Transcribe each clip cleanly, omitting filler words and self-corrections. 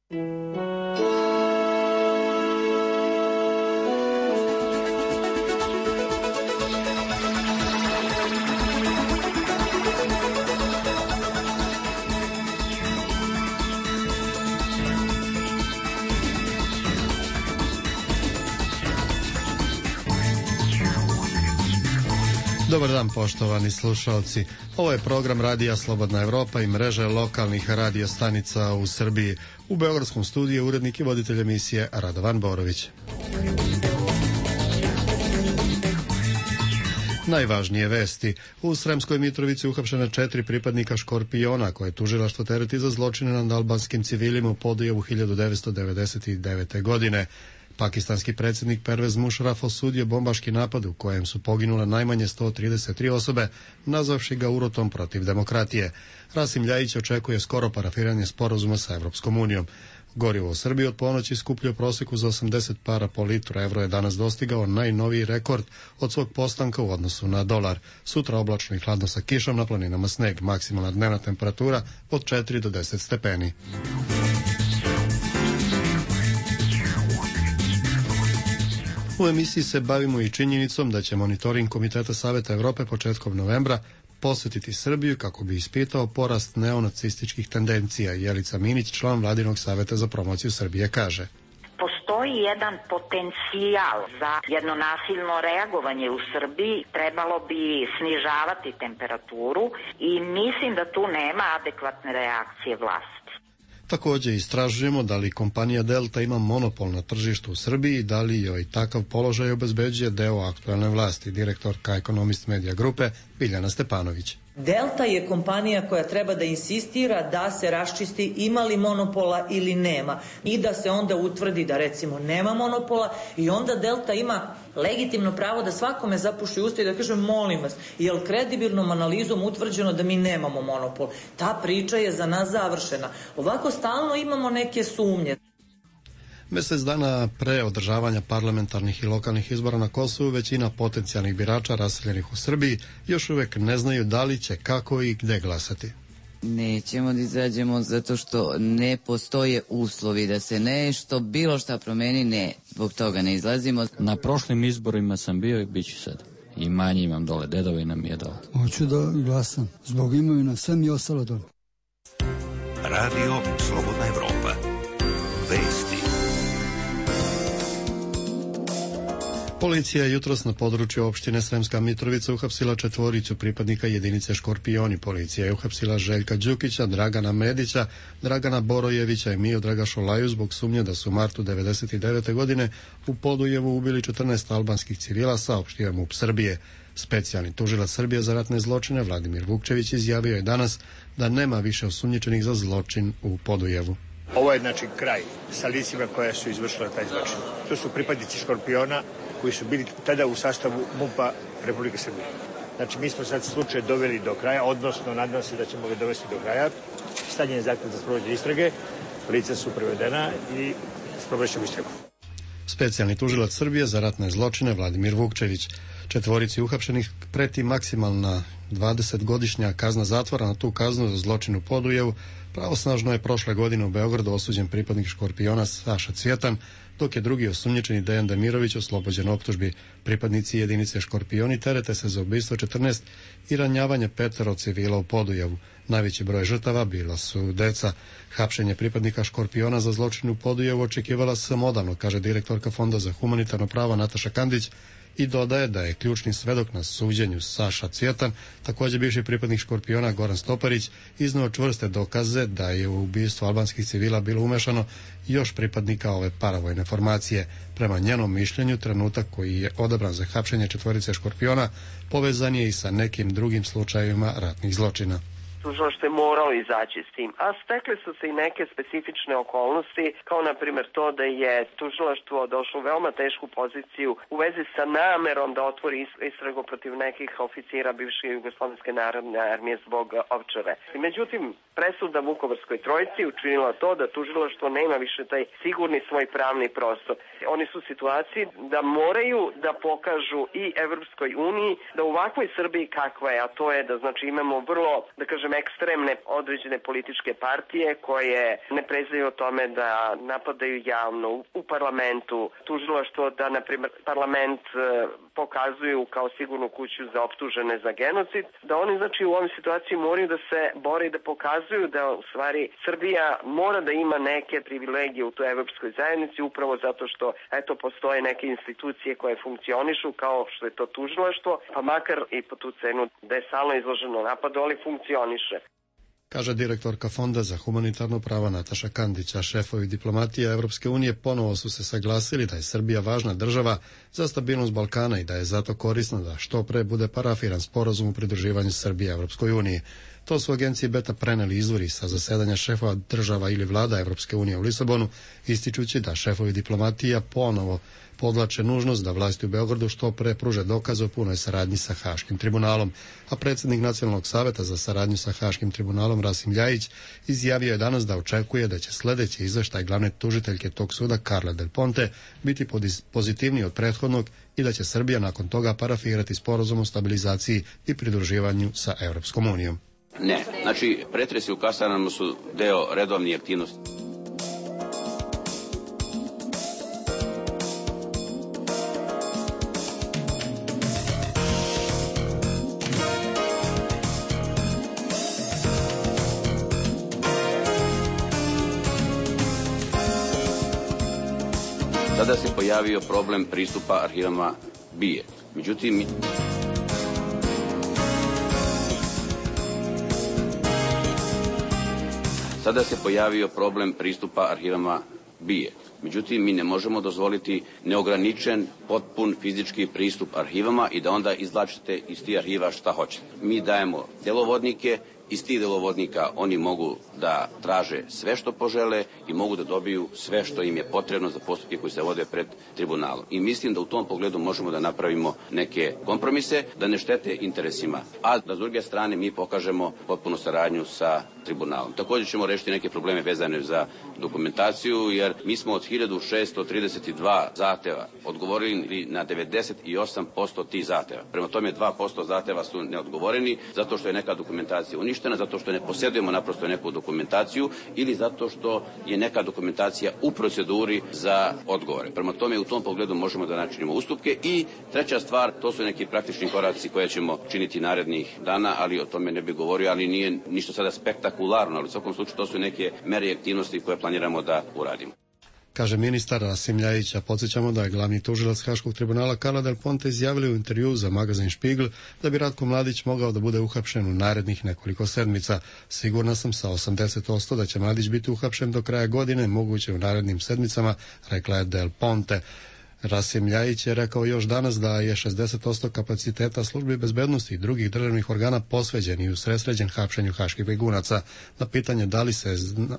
Dobar dan, poštovani slušalci. Ovo je program Radija Slobodna Evropa i mreže lokalnih radio stanica u Srbiji. U beogradskom studiju urednik i voditelj emisije Radovan Borović. Najvažnije vesti. U Sremskoj Mitrovici uhapšena 4 pripadnika Škorpiona koje tužilaštvo tereti za zločine nad albanskim civilima u Podujevu 1999. godine. Pakistanski predsjednik Pervez Mušaraf osudio bombaški napad u kojem su poginule najmanje 133 osobe, nazvavši ga urotom protiv demokratije. Rasim Ljajić očekuje skoro parafiranje sporazuma sa Evropskom unijom. Gorivo u Srbiji od ponoći skuplje u proseku za 80 para po litru. Evro je danas dostigao najnoviji rekord od svog postanka u odnosu na dolar. Sutra oblačno i hladno sa kišom, na planinama sneg. Maksimalna dnevna temperatura od 4 do 10 stepeni. U emisiji se bavimo i činjenicom da će monitoring Komiteta Saveta Evrope početkom novembra posjetiti Srbiju kako bi ispitao porast neonacističkih tendencija. Jelica Minić, član Vladinog saveta za promociju Srbije, kaže: Postoji jedan potencijal za jedno nasilno reagovanje u Srbiji, trebalo bi snižavati temperaturu i mislim da tu nema adekvatne reakcije vlasti. Također istražujemo da li kompanija Delta ima monopol na tržištu u Srbiji i da li joj takav položaj obezbeđuje deo aktualne vlasti. Direktorka Ekonomist Medija grupe Biljana Stepanović. Delta je kompanija koja treba da insistira da se raščisti ima li monopola ili nema i da se onda utvrdi da recimo nema monopola i onda Delta ima legitimno pravo da svakome zapuši usta i da kaže molim vas, je li kredibilnom analizom utvrđeno da mi nemamo monopol? Ta priča je za nas završena. Ovako stalno imamo neke sumnje. Mjesec dana pre održavanja parlamentarnih i lokalnih izbora na Kosovu većina potencijalnih birača raseljenih u Srbiji još uvijek ne znaju da li će, kako i gde glasati. Nećemo da izađemo zato što ne postoje uslovi da se nešto, bilo šta promeni, ne, zbog toga ne izlazimo. Na prošlim izborima sam bio i bit ću sad. I manje imam dole, dedovina mi je dole. Hoću da glasam, zbog imovina, sve mi je ostalo dole. Radio Slobodna Evropa. Vesti. Policija je jutros na području opštine Sremska Mitrovica uhapsila 4 pripadnika jedinice Škorpioni. Policija je uhapsila Željka Đukića, Dragana Medića, Dragana Borojevića i Miodraga Šolaju zbog sumnje da su u martu 1999. godine u Podujevu ubili 14 albanskih civila, saopštio MUP Srbije. Specijalni tužilac Srbije za ratne zločine Vladimir Vukčević izjavio je danas da nema više osumnjičenih za zločin u Podujevu. Ovo je znači kraj sa licima koja su izvršila taj zločin. To su pripadnici Škorpiona koji su bili tada u sastavu MUP-a Republike Srbije. Znači mi smo sad slučaj doveli do kraja, odnosno nadam se da ćemo ga dovesti do kraja. Stavljen je zahtev za sprovođenje istrage, lica su prevedena i sprovođenje istragu. Specijalni tužilac Srbije za ratne zločine Vladimir Vukčević. 4 uhapšenih preti maksimalna 20-godišnja kazna zatvora. Na tu kaznu za zločin u Podujevu pravosnažno je prošle godine u Beogradu osuđen pripadnik Škorpiona Saša Cvjetan, dok je drugi osumnjičeni Dejan Demirović oslobođen optužbi. Pripadnici jedinice Škorpioni terete se za ubistvo 14 i ranjavanje 5 civila u Podujevu. Najveći broj žrtava bila su deca. Hapšenje pripadnika Škorpiona za zločin u Podujevu očekivala sam odavno, kaže direktorka Fonda za humanitarno pravo Nataša Kandić, i dodaje da je ključni svedok na suđenju Saša Cvjetan, također bivši pripadnik Škorpiona Goran Stoparić, izneo čvrste dokaze da je u ubistvo albanskih civila bilo umešano još pripadnika ove paravojne formacije. Prema njenom mišljenju, trenutak koji je odabran za hapšenje 4 Škorpiona povezan je i sa nekim drugim slučajevima ratnih zločina. Tužilaštvo je moralo izaći s tim, a stekle su se i neke specifične okolnosti, kao na primjer to da je tužilaštvo došlo u veoma tešku poziciju u vezi sa namerom da otvori istragu protiv nekih oficira bivše Jugoslovenske narodne armije zbog Ovčare. Međutim, presuda Vukovarskoj trojici učinila to da tužilaštvo nema više taj sigurni svoj pravni prostor. Oni su u situaciji da moraju da pokažu i Evropskoj uniji da u ovakvoj Srbiji kakva je, a to je da znači imamo vrlo, da kažem, ekstremne određene političke partije koje ne prezaju o tome da napadaju javno u parlamentu, tužilaštvo da, na primjer, parlament pokazuju kao sigurnu kuću za optužene za genocid, da oni znači u ovoj situaciji moraju da se bore i da pokazuju da u stvari Srbija mora da ima neke privilegije u toj evropskoj zajednici upravo zato što eto postoje neke institucije koje funkcionišu kao što je to tužilaštvo, pa makar i po tu cenu da je stalno izloženo napadu, ali funkcioniše. Kaže direktorka Fonda za humanitarno pravo Nataša Kandić, a šefovi diplomatije Evropske unije ponovo su se saglasili da je Srbija važna država za stabilnost Balkana i da je zato korisno da što pre bude parafiran sporazum o pridruživanju Srbije Evropskoj uniji. To su agenciji Beta preneli izvori sa zasedanja šefova država ili vlada Evropske unije u Lisabonu, ističući da šefovi diplomatija ponovo podlače nužnost da vlasti u Beogradu što pre pruže dokaze o punoj saradnji sa Haškim tribunalom, a predsjednik Nacionalnog saveta za saradnju sa Haškim tribunalom Rasim Ljajić izjavio je danas da očekuje da će sljedeći izveštaj glavne tužiteljke tog suda Carla Del Ponte biti pozitivniji od prethodnog i da će Srbija nakon toga parafirati sporazum o stabilizaciji i pridruživanju sa Evropskom unijom. Ne, znači pretresi u kasarnama su deo redovnih aktivnosti. Sada se pojavio problem pristupa arhivama BIA. Međutim, mi ne možemo dozvoliti neograničen, potpun fizički pristup arhivama i da onda izvlačite iz tih arhiva šta hoćete. Mi dajemo delovodnike, iz tih delovodnika oni mogu da traže sve što požele i mogu da dobiju sve što im je potrebno za postupke koji se vode pred tribunalom. I mislim da u tom pogledu možemo da napravimo neke kompromise, da ne štete interesima, a da s druge strane mi pokažemo potpunu saradnju sa tribunalom. Također ćemo rešiti neke probleme vezane za dokumentaciju, jer mi smo od 1632 zahteva odgovorili na 98% tih zahteva. Prema tome 2% zahteva su neodgovoreni zato što je neka dokumentacija uništena, zato što ne posjedujemo naprosto neku dokumentaciju ili zato što je neka dokumentacija u proceduri za odgovore. Prema tome u tom pogledu možemo da načinimo ustupke. I treća stvar, to su neki praktični koraci koje ćemo činiti narednih dana, ali o tome ne bih govorio, ali nije ništa sada spektakularno, ali u svakom slučaju to su neke mere i aktivnosti koje planiramo da uradimo. Kaže ministar Rasim Ljajić, a podsjećamo da je glavni tužilac Haškog tribunala Carla Del Ponte izjavili u intervju za magazin Špigl da bi Ratko Mladić mogao da bude uhapšen u narednih nekoliko sedmica. Sigurna sam sa 80% da će Mladić biti uhapšen do kraja godine, moguće u narednim sedmicama, rekla je Del Ponte. Rasim Ljajić je rekao još danas da je 60% kapaciteta službi bezbednosti i drugih državnih organa posveđen i usredsređen hapšenju haških begunaca. Na pitanje da li se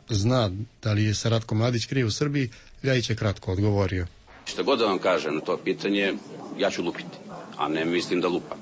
zna da li je se Ratko Mladić krije u Srbiji, Ljajić je kratko odgovorio. Što god da vam kažem na to pitanje, ja ću lupiti, a ne mislim da lupam.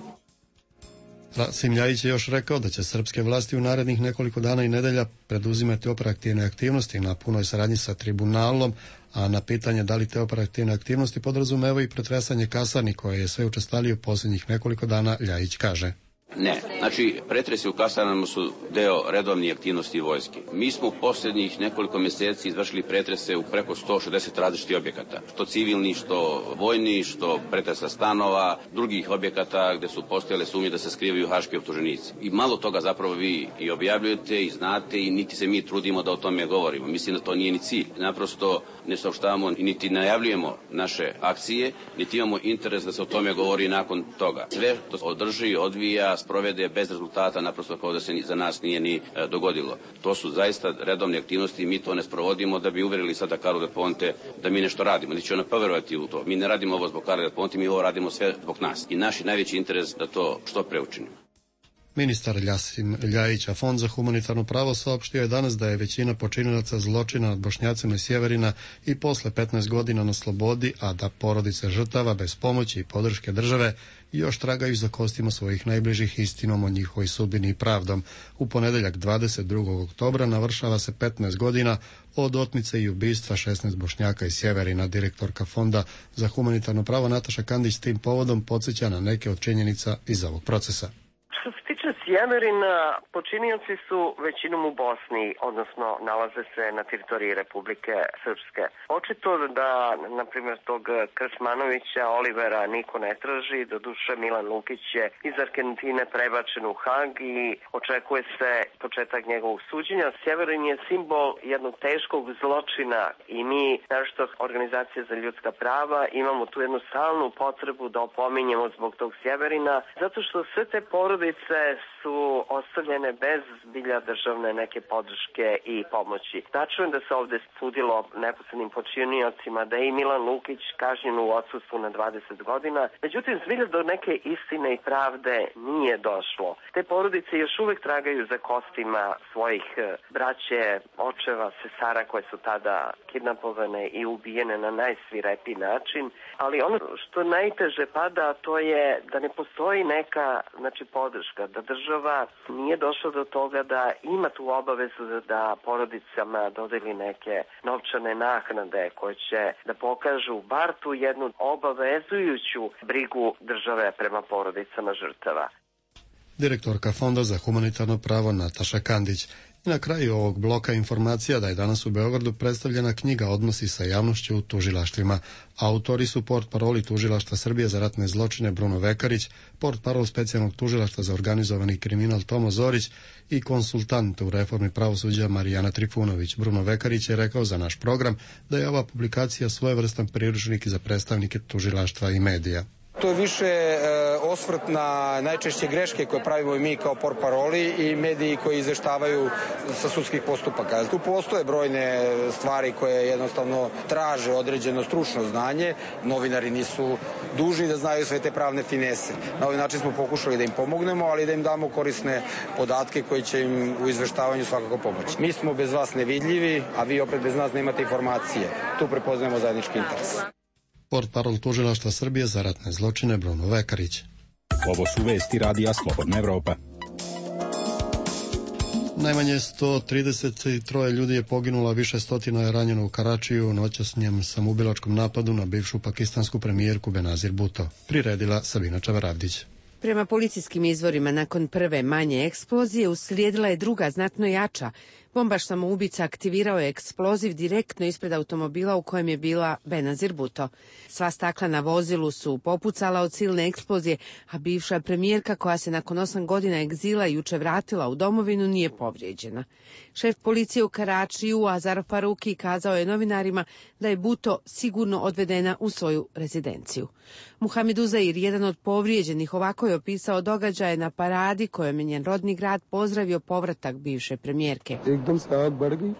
Rasim Ljajić je još rekao da će srpske vlasti u narednih nekoliko dana i nedelja preduzimati operativne aktivnosti na punoj saradnji sa tribunalom, a na pitanje da li te operativne aktivnosti podrazumevaju i pretresanje kasarni koje je sve učestalio u posljednjih nekoliko dana, Ljajić kaže. Ne, znači pretresi u kasarnama su deo redovnih aktivnosti vojske. Mi smo u posljednjih nekoliko mjeseci izvršili pretrese u preko 160 različitih objekata, što civilni, što vojni, što pretresa stanova, drugih objekata gdje su postojale sumnje da se skrivaju haški optuženici. I malo toga zapravo vi i objavljujete i znate i niti se mi trudimo da o tome govorimo. Mislim da to nije ni cilj. Naprosto ne saopštavamo i niti najavljujemo naše akcije, niti imamo interes da se o tome govori nakon toga. Sve to održi, odvija, sprovede bez rezultata, naprosto kao da se za nas nije ni dogodilo. To su zaista redovne aktivnosti i mi to ne sprovodimo da bi uverili sada Carlo Del Ponte da mi nešto radimo. Niti će ona poverovati u to. Mi ne radimo ovo zbog Carlo Del Ponte, mi ovo radimo sve zbog nas. I naš najveći interes da to što pre učinimo. Ministar Ljasim Ljajić, a Fond za humanitarno pravo saopštio je danas da je većina počinilaca zločina nad Bošnjacima iz Sjeverina i posle 15 godina na slobodi, a da porodice žrtava bez pomoći i podrške države još tragaju za kostima svojih najbližih istinom o njihovoj sudbini i pravdom. U ponedeljak 22. oktobra navršava se 15 godina od otmice i ubistva 16 Bošnjaka iz Sjeverina. Direktorka Fonda za humanitarno pravo Nataša Kandić tim povodom podsjeća na neke od činjenica iz ovog procesa. Što se tiče Sjeverina, počinioci su većinom u Bosni, odnosno nalaze se na teritoriji Republike Srpske. Očito da, na primjer, tog Krsmanovića, Olivera niko ne traži, doduše Milan Lukić je iz Argentine prebačen u Hag i očekuje se početak njegovog suđenja. Sjeverin je simbol jednog teškog zločina i mi, naročito organizacije za ljudska prava, imamo tu jednu stalnu potrebu da opominjemo zbog tog Sjeverina, zato što sve te porodice su ostavljene bez zbilja državne neke podrške i pomoći. Tačno je da se ovde sudilo neposrednim počiniocima, da je i Milan Lukić kažnjen u odsustvu na 20 godina. Međutim, zbilja do neke istine i pravde nije došlo. Te porodice još uvek tragaju za kostima svojih braće, očeva, sestara koje su tada kidnapovane i ubijene na najsvirepiji način. Ali ono što najteže pada, to je da ne postoji neka podrška, da država nije došla do toga da ima tu obavezu da porodicama dodeli neke novčane naknade koje će da pokažu bar tu jednu obavezujuću brigu države prema porodicama žrtava. Direktorka Fonda za humanitarno pravo Nataša Kandić. I na kraju ovog bloka informacija da je danas u Beogradu predstavljena knjiga Odnosi sa javnošću u tužilaštvima. Autori su portparoli Tužilaštva Srbije za ratne zločine Bruno Vekarić, portparol specijalnog tužilaštva za organizovani kriminal Tomo Zorić i konsultant u reformi pravosuđa Marijana Trifunović. Bruno Vekarić je rekao za naš program da je ova publikacija svojevrstan priručnik za predstavnike tužilaštva i medija. To je više osvrt na najčešće greške koje pravimo i mi kao portparoli i mediji koji izveštavaju sa sudskih postupaka. Tu postoje brojne stvari koje jednostavno traže određeno stručno znanje. Novinari nisu dužni da znaju sve te pravne finese. Na ovaj način smo pokušali da im pomognemo, ali da im damo korisne podatke koji će im u izveštavanju svakako pomoći. Mi smo bez vas nevidljivi, a vi opet bez nas nemate informacije. Tu prepoznajemo zajednički interes. Portparol Tužilaštva Srbije za ratne zločine Bruno Vekarić. Ovo su vesti Radija Slobodna Evropa. Najmanje 133 ljudi je poginulo, a više stotina je ranjeno u Karačiju u noćasnjem samoubilačkom napadu na bivšu pakistansku premijerku Benazir Bhutto. Priredila Sabina Čavaravdić. Prema policijskim izvorima, nakon prve manje eksplozije uslijedila je druga, znatno jača. Bombaš samoubica aktivirao je eksploziv direktno ispred automobila u kojem je bila Benazir Bhutto. Sva stakla na vozilu su popucala od silne eksplozije, a bivša premijerka koja se nakon 8 godina egzila juče vratila u domovinu nije povrijeđena. Šef policije u Karačiju, Azar Faruki, kazao je novinarima da je Bhutto sigurno odvedena u svoju rezidenciju. Muhamed Uzair, jedan od povrijeđenih, ovako je opisao događaje na paradi kojom je njen rodni grad pozdravio povratak bivše premijerke.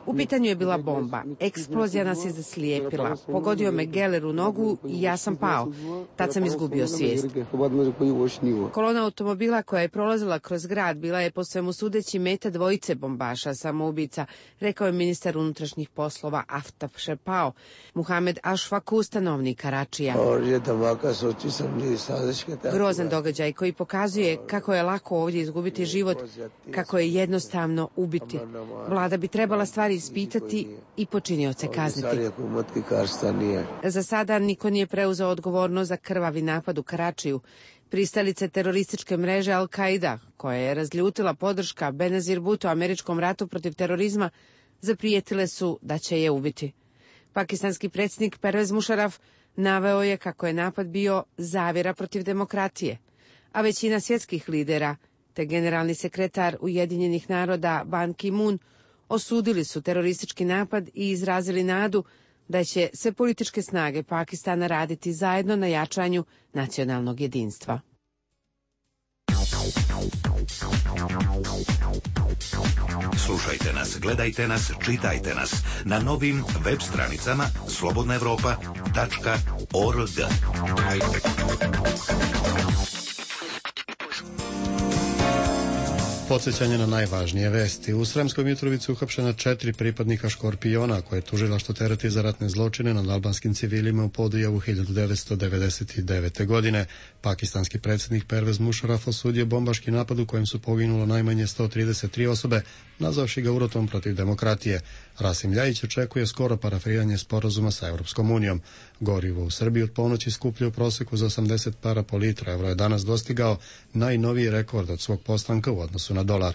U pitanju je bila bomba. Eksplozija nas je zaslijepila. Pogodio me geler u nogu i ja sam pao. Tad sam izgubio svijest. Kolona automobila koja je prolazila kroz grad bila je po svemu sudeći meta dvojice bombaša samoubica, rekao je ministar unutrašnjih poslova Aftaf Šepao. Muhamed Ašfaku, stanovnik Karačija. Grozan događaj koji pokazuje kako je lako ovdje izgubiti život, kako je jednostavno ubiti. Vlada bi trebala stvari ispitati i počinioce kazniti. Za sada niko nije preuzeo odgovornost za krvavi napad u Karačiju. Pristalice terorističke mreže Al-Qaida, koja je razljutila podrška Benazir Bhutto američkom ratu protiv terorizma, zaprijetile su da će je ubiti. Pakistanski predsjednik Pervez Musharraf naveo je kako je napad bio zavjera protiv demokratije, a većina svjetskih lidera te generalni sekretar Ujedinjenih naroda Ban Ki-moon osudili su teroristički napad i izrazili nadu da će sve političke snage Pakistana raditi zajedno na jačanju nacionalnog jedinstva. Slušajte nas, gledajte nas, čitajte nas na novim web stranicama slobodnaevropa.org. 9 Podsjećanje na najvažnije vesti. U Sremskoj Mitrovici uhapšena 4 pripadnika Škorpiona, koje je tužilaštvo tereti za ratne zločine nad albanskim civilima u Podujevu 1999. godine. Pakistanski predsjednik Pervez Musharraf osudio bombaški napad u kojem su poginulo najmanje 133 osobe, nazvavši ga urotom protiv demokratije. Rasim Ljajić očekuje skoro parafiranje sporazuma sa Europskom unijom. Gorivo u Srbiji od ponoći skuplje u proseku za 80 para po litru. Evro je danas dostigao najnoviji rekord od svog postanka u odnosu na dolar.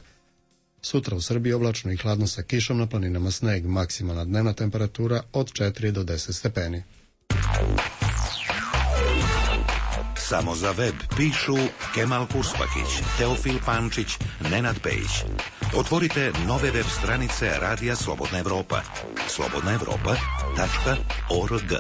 Sutra u Srbiji oblačno i hladno sa kišom, na planinama sneg, maksimalna dnevna temperatura od 4 do 10 stepeni. Samo za web pišu Kemal Kurspakić, Teofil Pančić, Nenad Pejić. Otvorite nove web stranice Radija Slobodna Evropa. slobodnaevropa.org.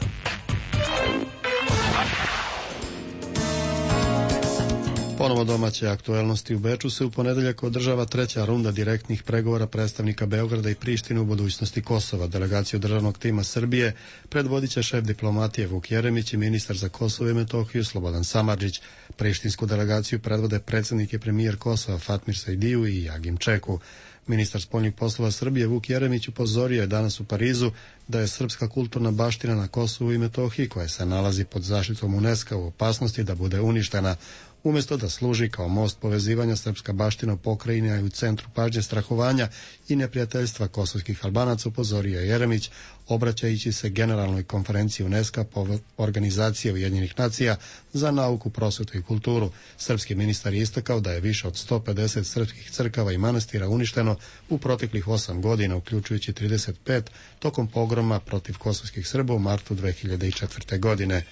Ponovo domaće aktuelnosti. U Beču se u ponedeljak održava 3. runda direktnih pregovora predstavnika Beograda i Prištine u budućnosti Kosova. Delegaciju državnog tima Srbije predvodit će šef diplomatije Vuk Jeremić i ministar za Kosovo i Metohiju Slobodan Samardžić. Prištinsku delegaciju predvode predsjednik i premijer Kosova Fatmir Sajdiju i Jagim Čeku. Ministar spoljnih poslova Srbije Vuk Jeremić upozorio je danas u Parizu da je srpska kulturna baština na Kosovu i Metohiji, koja se nalazi pod zaštitom UNESCO, u opasnosti da bude uništena. Umjesto da služi kao most povezivanja, srpska baština u pokrajini je u centru pažnje strahovanja i neprijateljstva kosovskih Albanaca, upozorio je Jeremić, obraćajući se Generalnoj konferenciji UNESCO po organizacije Ujedinjenih nacija za nauku, prosvetu i kulturu. Srpski ministar je istakao da je više od 150 srpskih crkava i manastira uništeno u proteklih 8 godina, uključujući 35 tokom pogroma protiv kosovskih Srba u martu 2004. godine.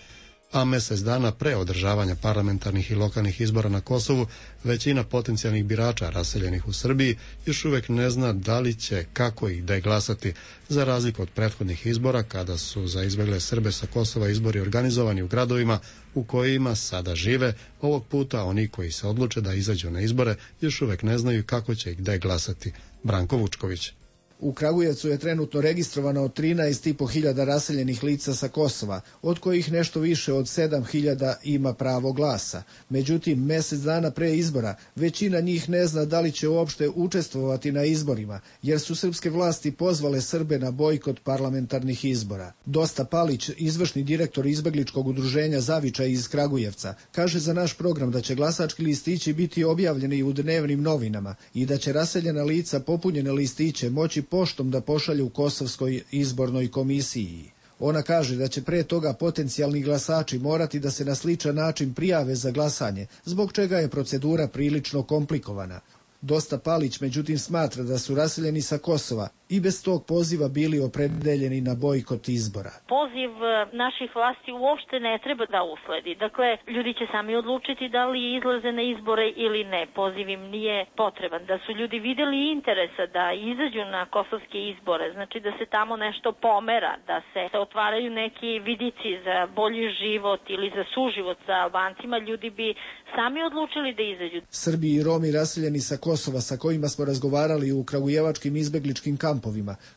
A mjesec dana pre održavanja parlamentarnih i lokalnih izbora na Kosovu, većina potencijalnih birača raseljenih u Srbiji još uvijek ne zna da li će, kako i gde glasati, za razliku od prethodnih izbora kada su za izbegle Srbe sa Kosova izbori organizovani u gradovima u kojima sada žive. Ovog puta oni koji se odluče da izađu na izbore još uvijek ne znaju kako će i gde glasati. Branko Vučković. U Kragujevcu je trenutno registrovano 13.500 raseljenih lica sa Kosova, od kojih nešto više od 7.000 ima pravo glasa. Međutim, mjesec dana pre izbora većina njih ne zna da li će uopšte učestvovati na izborima, jer su srpske vlasti pozvale Srbe na bojkot parlamentarnih izbora. Dosta Palić, izvršni direktor izbegličkog udruženja Zavičaj iz Kragujevca, kaže za naš program da će glasački listići biti objavljeni u dnevnim novinama i da će raseljena lica popunjene listiće moći poštom da pošalju Kosovskoj izbornoj komisiji. Ona kaže da će pre toga potencijalni glasači morati da se na sličan način prijave za glasanje, zbog čega je procedura prilično komplikovana. Dosta Palić međutim smatra da su raseljeni sa Kosova i bez tog poziva bili opredeljeni na bojkot izbora. Poziv naših vlasti uopšte ne treba da usledi. Dakle, ljudi će sami odlučiti da li izlaze na izbore ili ne. Poziv im nije potreban. Da su ljudi vidjeli interesa da izađu na kosovske izbore, znači da se tamo nešto pomera, da se otvaraju neki vidici za bolji život ili za suživot sa Albancima, ljudi bi sami odlučili da izađu. Srbi i Romi raseljeni sa Kosova sa kojima smo razgovarali u kragujevačkim izbegličkim kampovima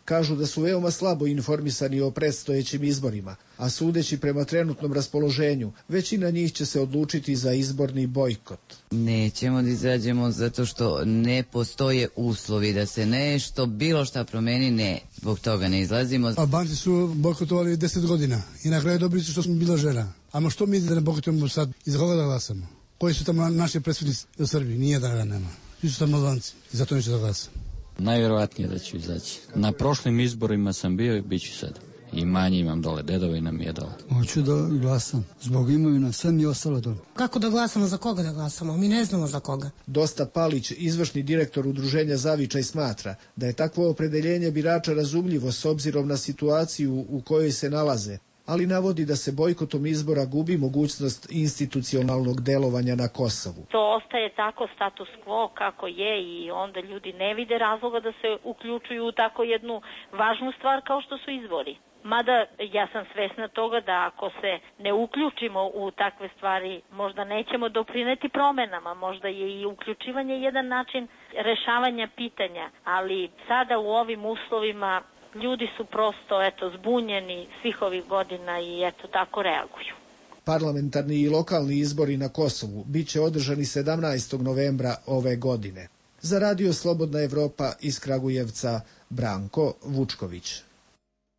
kažu da su veoma slabo informisani o predstojećim izborima, a sudeći prema trenutnom raspoloženju, većina njih će se odlučiti za izborni bojkot. Nećemo da izađemo zato što ne postoje uslovi da se nešto, bilo šta promeni, ne. Zbog toga ne izlazimo. Albanci su bojkotovali 10 godina i na kraju dobili su što smo bila žena. Ama što mi da ne bojkotujemo sad i za koga da glasamo? Koji su tamo naši predstavnici u Srbiji? Nije da ga nema. Svi su tamo Albanci i zato neću da glasam. Najvjerovatnije da ću izaći. Na prošlim izborima sam bio i bit ću sad. I manje imam dole, dedovina mi je dole. Hoću da glasam. Zbog imovina, sve mi je ostalo dole. Kako da glasamo, za koga da glasamo? Mi ne znamo za koga. Dosta Palić, izvršni direktor udruženja Zavičaj, smatra da je takvo opredeljenje birača razumljivo s obzirom na situaciju u kojoj se nalaze, ali navodi da se bojkotom izbora gubi mogućnost institucionalnog delovanja na Kosovu. To ostaje tako status quo kako je i onda ljudi ne vide razloga da se uključuju u tako jednu važnu stvar kao što su izbori. Mada ja sam svesna toga da ako se ne uključimo u takve stvari možda nećemo doprineti promenama, možda je i uključivanje jedan način rešavanja pitanja, ali sada u ovim uslovima ljudi su prosto zbunjeni svih ovih godina i tako reaguju. Parlamentarni i lokalni izbori na Kosovu bit će održani 17. novembra ove godine. Za Radio Slobodna Evropa iz Kragujevca Branko Vučković.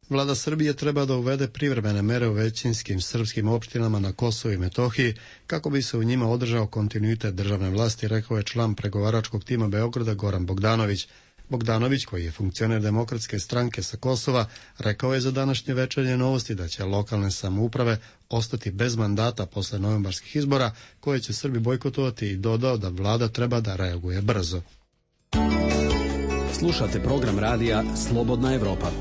Vlada Srbije treba da uvede privremene mere u većinskim srpskim opštinama na Kosovu i Metohiji kako bi se u njima održao kontinuitet državne vlasti, rekao je član pregovaračkog tima Beograda Goran Bogdanović. Bogdanović, koji je funkcioner Demokratske stranke sa Kosova, rekao je za današnje Večernje novosti da će lokalne samouprave ostati bez mandata posle novembarskih izbora koje će Srbi bojkotovati i dodao da vlada treba da reaguje brzo. Slušate program radija Slobodna Evropa.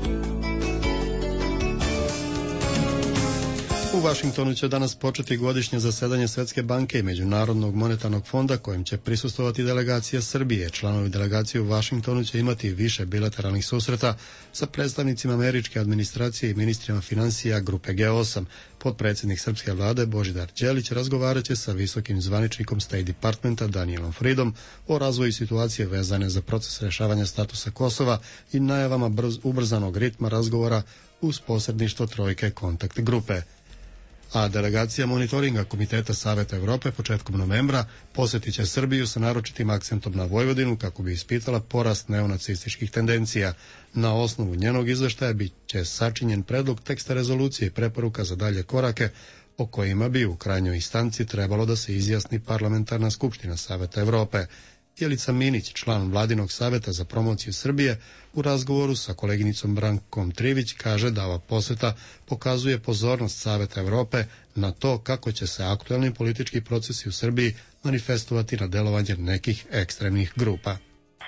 U Vašingtonu će danas početi godišnje zasedanje Svetske banke i Međunarodnog monetarnog fonda kojem će prisustvovati delegacija Srbije. Članovi delegacije u Vašingtonu će imati više bilateralnih susreta sa predstavnicima američke administracije i ministrima finansija grupe G8. Potpredsjednik srpske vlade Božidar Đelić razgovaraće sa visokim zvaničnikom State Departmenta Danielom Fridom o razvoju situacije vezane za proces rešavanja statusa Kosova i najavama ubrzanog ritma razgovora uz posredništvo trojke kontakt grupe. A delegacija monitoringa Komiteta Saveta Evrope početkom novembra posjetit će Srbiju sa naročitim akcentom na Vojvodinu kako bi ispitala porast neonacističkih tendencija. Na osnovu njenog izveštaja bit će sačinjen predlog teksta rezolucije i preporuka za dalje korake o kojima bi u krajnjoj instanci trebalo da se izjasni Parlamentarna skupština Saveta Evrope. Jelica Minić, član Vladinog saveta za promociju Srbije, u razgovoru sa koleginicom Brankom Trivić kaže da ova poseta pokazuje pozornost Saveta Evrope na to kako će se aktuelni politički procesi u Srbiji manifestovati na delovanje nekih ekstremnih grupa.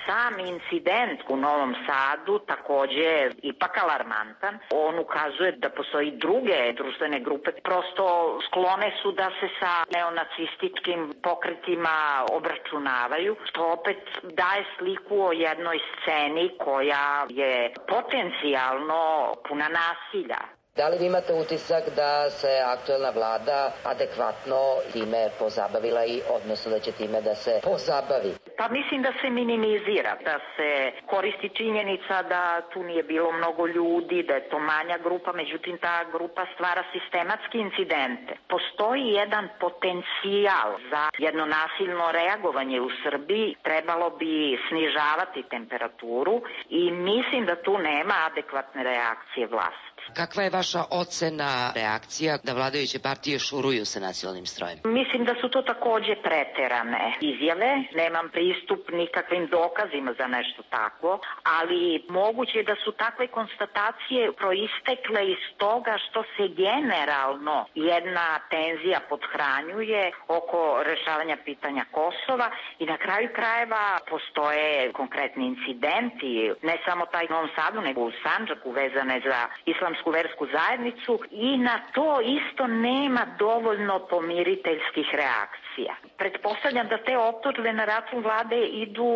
Sam incident u Novom Sadu takođe je ipak alarmantan. On ukazuje da postoji druge društvene grupe, prosto sklone su da se sa neonacističkim pokretima obračunavaju, što opet daje sliku o jednoj sceni koja je potencijalno puna nasilja. Da li vi imate utisak da se aktuelna vlada adekvatno time pozabavila i odnosno da će time da se pozabavi? Pa mislim da se minimizira, da se koristi činjenica da tu nije bilo mnogo ljudi, da je to manja grupa, međutim ta grupa stvara sistematski incidente. Postoji jedan potencijal za jedno nasilno reagovanje u Srbiji, trebalo bi snižavati temperaturu i mislim da tu nema adekvatne reakcije vlasti. Kakva je vaša ocena reakcija da vladajuće partije šuruju sa nasilnim strojem? Mislim da su to takođe preterane izjave. Nemam pristup nikakvim dokazima za nešto takvo, ali moguće je da su takve konstatacije proistekle iz toga što se generalno jedna tenzija podhranjuje oko rešavanja pitanja Kosova i na kraju krajeva postoje konkretni incidenti, ne samo taj u Novom Sadu, nego u Sandžaku vezane za islamsku versku zajednicu i na to isto nema dovoljno pomiriteljskih reakcija. Pretpostavljam da te optužbe na račun vlade idu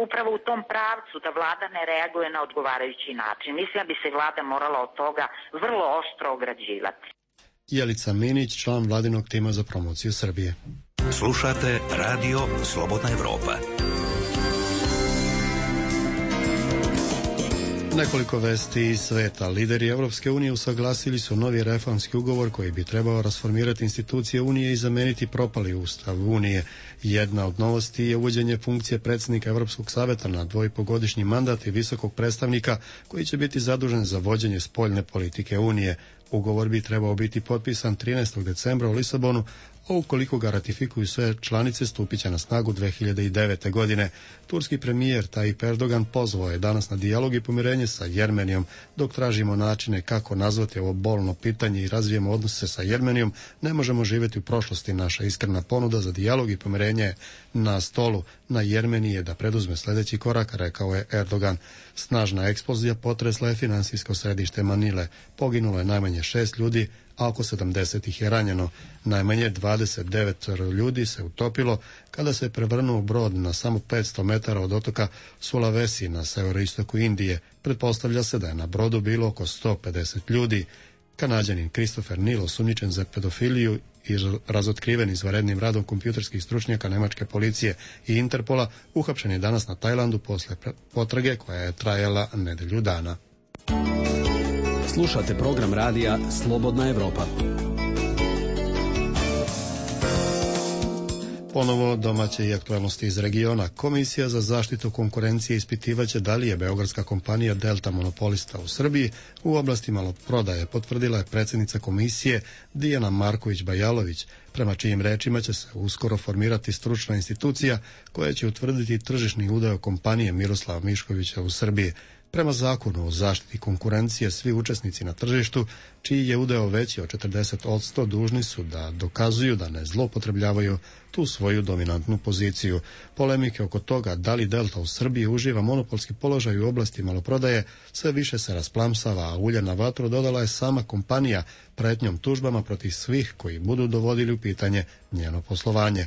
upravo u tom pravcu, da vlada ne reaguje na odgovarajući način. Mislim da bi se vlada morala od toga vrlo oštro ograđivati. Jelica Minić, član Vladinog tima za promociju Srbije. Slušate Radio Slobodna Evropa. Nekoliko vesti iz sveta. Lideri Evropske unije usaglasili su novi reformski ugovor koji bi trebao rasformirati institucije Unije i zameniti propali ustav Unije. Jedna od novosti je uvođenje funkcije predsjednika Evropskog saveta na 2,5-godišnji mandat i visokog predstavnika koji će biti zadužen za vođenje spoljne politike Unije. Ugovor bi trebao biti potpisan 13. decembra u Lisabonu, a ukoliko ga ratifikuju sve članice stupit će na snagu 2009. godine. Turski premijer Tayyip Erdogan pozvao je danas na dijalog i pomirenje sa Jermenijom. Dok tražimo načine kako nazvati ovo bolno pitanje i razvijemo odnose sa Jermenijom, ne možemo živjeti u prošlosti. Naša iskrena ponuda za dijalog i pomirenje je na stolu. Na Jermeniji je da preduzme sljedeći korak, rekao je Erdogan. Snažna eksplozija potresla je finansijsko središte Manile. Poginulo je najmanje 6 ljudi, a oko 70 ih je ranjeno. Najmanje 29 ljudi se utopilo kada se prevrnuo brod na samo 500 metara od otoka Sulawesi na severoistoku Indije. Pretpostavlja se da je na brodu bilo oko 150 ljudi. Kanađanin Christopher Neal, osumnjičen za pedofiliju i razotkriven izvanrednim radom kompjuterskih stručnjaka nemačke policije i Interpola, uhapšen je danas na Tajlandu posle potrage koja je trajala nedelju dana. Slušate program radija Slobodna Evropa. Ponovo domaće i aktualnosti iz regiona. Komisija za zaštitu konkurencije ispitivaće da li je beogradska kompanija Delta monopolista u Srbiji u oblasti maloprodaje, potvrdila je predsjednica komisije Dijana Marković-Bajalović, prema čijim rečima će se uskoro formirati stručna institucija koja će utvrditi tržišni udeo kompanije Miroslava Miškovića u Srbiji. Prema zakonu o zaštiti konkurencije, svi učesnici na tržištu, čiji je udeo veći od 40%, dužni su da dokazuju da ne zloupotrebljavaju tu svoju dominantnu poziciju. Polemike oko toga da li Delta u Srbiji uživa monopolski položaj u oblasti maloprodaje sve više se rasplamsava, a ulje na vatru dodala je sama kompanija pretnjom tužbama protiv svih koji budu dovodili u pitanje njeno poslovanje.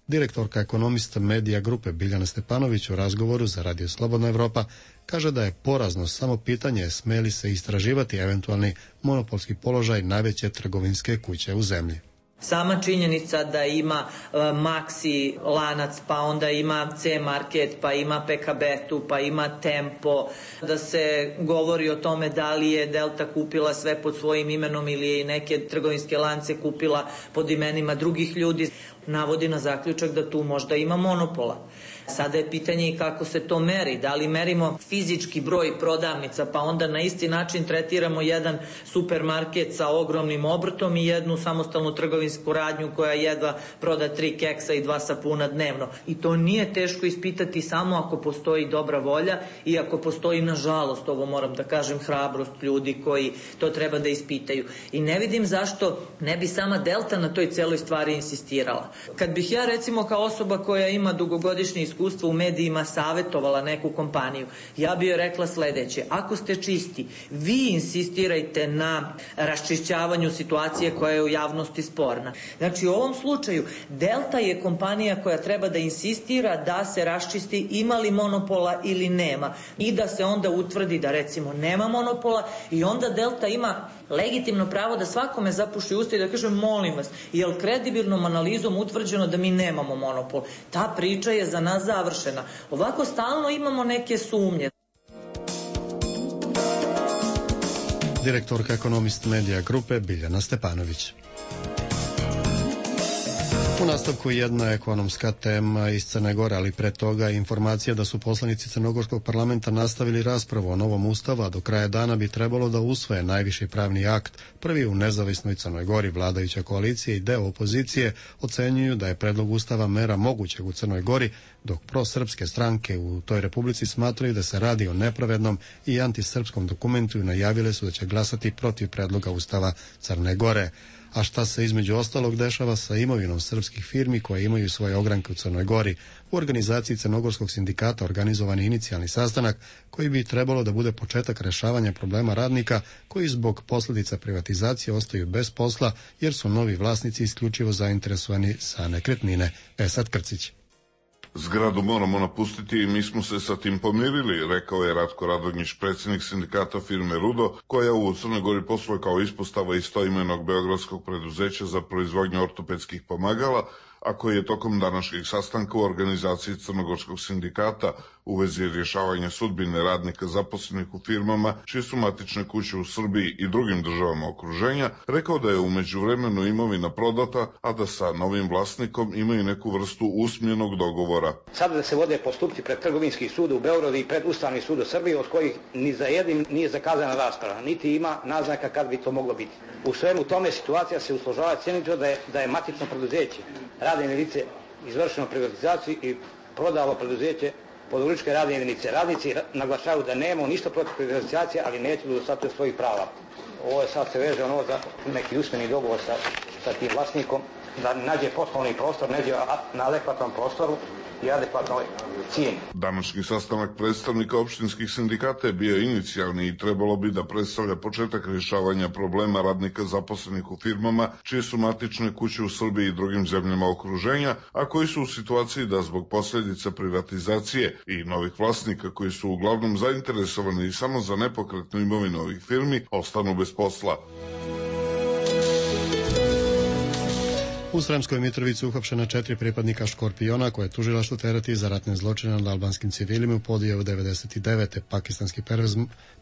Direktorka ekonomista medija grupe Biljana Stepanović u razgovoru za Radio Slobodna Evropa kaže da je porazno samo pitanje sme li se istraživati eventualni monopolski položaj najveće trgovinske kuće u zemlji. Sama činjenica da ima Maxi lanac, pa onda ima C-Market, pa ima PKB-tu, pa ima Tempo, da se govori o tome da li je Delta kupila sve pod svojim imenom ili je i neke trgovinske lance kupila pod imenima drugih ljudi, navodi na zaključak da tu možda ima monopola. Sada je pitanje i kako se to meri. Da li merimo fizički broj prodavnica, pa onda na isti način tretiramo jedan supermarket sa ogromnim obrtom i jednu samostalnu trgovinsku radnju koja jedva proda 3 keksa i 2 sapuna dnevno. I to nije teško ispitati samo ako postoji dobra volja i ako postoji, nažalost, ovo moram da kažem, hrabrost ljudi koji to treba da ispitaju. I ne vidim zašto ne bi sama Delta na toj celoj stvari insistirala. Kad bih ja, recimo, kao osoba koja ima dugogodišnje iskustvo u medijima savjetovala neku kompaniju, ja bi joj rekla sledeće: ako ste čisti, vi insistirajte na raščišćavanju situacije koja je u javnosti sporna. Znači, u ovom slučaju Delta je kompanija koja treba da insistira da se raščisti ima li monopola ili nema i da se onda utvrdi da, recimo, nema monopola, i onda Delta ima legitimno pravo da svakome zapuši usta i da kaže: molim vas, je li kredibilnom analizom utvrđeno da mi nemamo monopol? Ta priča je za nas završena. Ovako stalno imamo neke sumnje. Direktorka ekonomist medija grupe Biljana Stepanović. U nastavku jedna ekonomska tema iz Crne Gore, ali pre toga informacija da su poslanici Crnogorskog parlamenta nastavili raspravu o novom ustavu, a do kraja dana bi trebalo da usvoje najviši pravni akt. Prvi u nezavisnoj Crnoj Gori, vladajuća koalicija i deo opozicije ocenjuju da je predlog ustava mera mogućeg u Crnoj Gori, dok prosrpske stranke u toj republici smatraju da se radi o nepravednom i antisrpskom dokumentu i najavile su da će glasati protiv predloga ustava Crne Gore. A šta se između ostalog dešava sa imovinom srpskih firmi koje imaju svoje ogranke u Crnoj Gori? U organizaciji Crnogorskog sindikata organizovan je inicijalni sastanak koji bi trebalo da bude početak rešavanja problema radnika koji zbog posljedica privatizacije ostaju bez posla jer su novi vlasnici isključivo zainteresovani za nekretnine. Esad Krcić. Zgradu moramo napustiti i mi smo se sa tim pomirili, rekao je Ratko Radonjić, predsjednik sindikata firme Rudo, koja u Crnoj Gori posluje kao ispostava istoimenog beogradskog preduzeća za proizvodnju ortopedskih pomagala, a koji je tokom današnjeg sastanka u organizaciji Crnogorskog sindikata u vezi rješavanja sudbine radnika zaposlenih u firmama čije su matične kuće u Srbiji i drugim državama okruženja, rekao da je u međuvremenu imovina prodata, a da sa novim vlasnikom imaju neku vrstu usmjenog dogovora. Sada da se vode postupci pred Trgovinski sud u Beogradu i pred Ustavni sud u Srbiji, od kojih ni za jednim nije zakazana rasprava, niti ima naznaka kad bi to moglo biti. U svemu tome situacija se usložava cijenito da je matično preduzeće radne jedinice izvršeno privatizaciju i prodalo preduzeće pod uličke radne jedinice. Radnici naglašavaju da nemamo ništa protiv privatizacije, ali neće da dostatuju svojih prava. Ovo je sad se veže ono za neki usmeni dogovor sa tim vlasnikom, da nađe poslovni prostor, nađe na adekvatnom prostoru i adekvatnoj cijeni. Današnji sastanak predstavnika opštinskih sindikata je bio inicijalni i trebalo bi da predstavlja početak rješavanja problema radnika zaposlenih u firmama čije su matične kuće u Srbiji i drugim zemljama okruženja, a koji su u situaciji da zbog posljedica privatizacije i novih vlasnika koji su uglavnom zainteresovani samo za nepokretnu imovinu ovih firmi ostanu bez posla. U Sremskoj Mitrovici uhapšena 4 pripadnika Škorpiona koje je tužilaštvo tereti za ratne zločine nad albanskim civilima u Podijevu 99. Pakistanski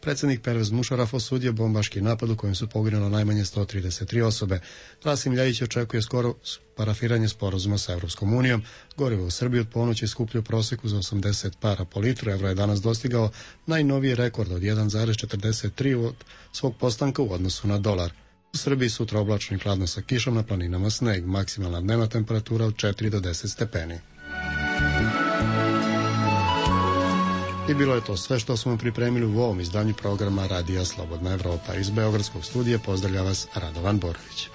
predsjednik Pervez Mušaraf osudio bombaški napad u kojem su poginulo najmanje 133 osobe. Rasim Ljajić očekuje skoro parafiranje sporazuma sa Evropskom unijom. Gorivo u Srbiji od ponoći skuplju proseku za 80 para po litru. Evro je danas dostigao najnoviji rekord od 1,43 od svog postanka u odnosu na dolar. U Srbiji sutra oblačno i hladno sa kišom, na planinama sneg, maksimalna dnevna temperatura od 4 do 10 stepeni. I bilo je to sve što smo pripremili u ovom izdanju programa Radija Slobodna Evropa. Iz Beogradskog studija pozdravlja vas Radovan Borović.